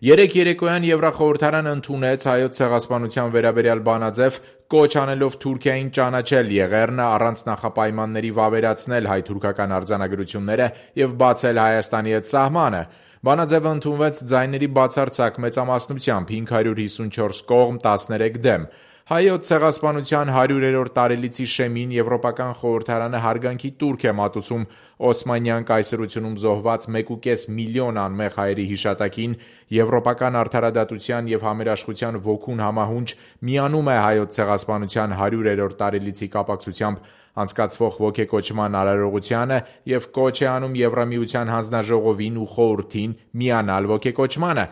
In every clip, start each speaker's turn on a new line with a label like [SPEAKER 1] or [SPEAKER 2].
[SPEAKER 1] Երեկ երեկոյան Եվրախորհրդարանը ընդունեց Հայոց ցեղասպանության վերաբերյալ բանաձև, կոչ անելով Թուրքիային ճանաչել Եղեռնը, առանց նախապայմանների վավերացնել հայ-թուրքական արձանագրությունները և բացել Հայաստանի հետ սահմանը: Բանաձևը ընդունվեց ձայների բացարձակ մեծամասնությամբ՝ 554 կողմ, 13 դեմ: Հայոց ցեղասպանության 100-րդ տարելիցի շեմին Եվրոպական խորհրդարանը հարգանքի տուրք է մատուցում Օսմանյան կայսրությունում զոհված 1,5 միլիոն անմեղ հայերի հիշատակին, Եվրոպական արդարադատության և համերաշխության ոգուն համահունչ միանում է Հայոց ցեղասպանության 100-րդ տարելիցի կապակցությամբ անցկացվող ոգեկոչման արարողությանը և կոչ է անում Եվրամիության հանձնաժողովին ու խորհրդին միանալ ոգեկոչմանը,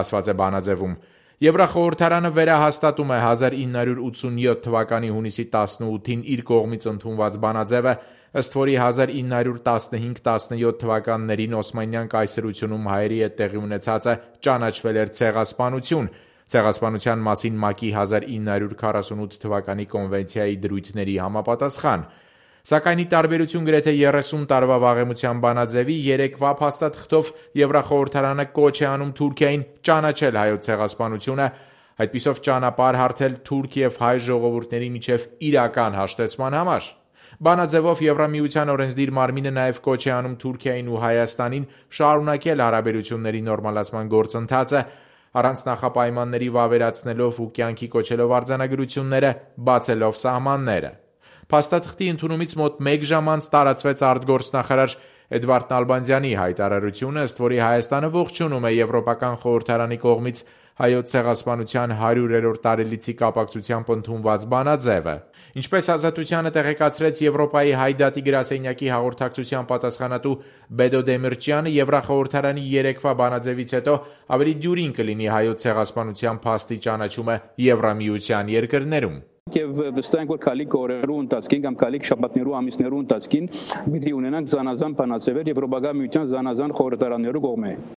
[SPEAKER 1] ասված է բանաձևում: Եվրախորհրդարանը վերահաստատում է 1987 թվականի հունիսի 18-ին իր կողմից ընդունված բանաձևը, ըստ որի 1915-17 թվականներին Օսմանյան կայսրությունում հայերի հետ տեղի ունեցածը ճանաչվել էր ցեղասպանություն՝ Ցեղասպանության մասին ՄԱԿ-ի 1948 թվականի կոնվենցիայի դրույթների համապատասխան: Սակայն ի տարբերություն գրեթե 30 տարվա վաղեմության բանաձևի, երեկվա փաստաթղթով Եվրախորհրդարանը կոչ է անում Թուրքիային ճանաչել Հայոց ցեղասպանությունը, այդպիսով ճանապարհ հարթել թուրք և հայ ժողովուրդների միջև իրական հաշտեցման համար: Բանաձևով Եվրամիության օրենսդիր մարմինը նաև կոչ է անում Թուրքիային ու Հայաստանին շարունակել հարաբերությունների նորմալացման գործընթացը՝ առանց նախապայմանների վավերացնելով ու կյանքի կոչելով արձանագրությունները, բացելով սահմանները: Փաստաթղթի ընդունումից մոտ մեկ ժամ անց տարածվեց արտգործնախարար Էդվարդ Նալբանդյանի հայտարարությունը, ըստ որի Հայաստանը ողջունում է Եվրոպական խորհրդարանի կողմից Հայոց ցեղասպանության 100-րդ տարելիցի կապակցությամբ ընդունված բանաձևը: Ինչպես «Ազատությանը» տեղեկացրեց Եվրոպայի հայ դատի գրասենյակի հաղորդակցության պատասխանատու Բեդո Դեմիրճյանը, Եվրախորհրդարանի երեկվա բանաձևից հետո ավելի դյուրին կլինի Հայոց ցեղասպանության փաստի ճանաչումը Եվրամիության երկրներում:
[SPEAKER 2] Եվ վստահ ենք, որ քալիք օրերու ընթացքին կամ քալիք շաբաթներու ամիսներու ընթացքին պիտի ունենանք զանազան բանաձևեր Եվրոպական միության զանազան խորհրդարաններու կողմէ: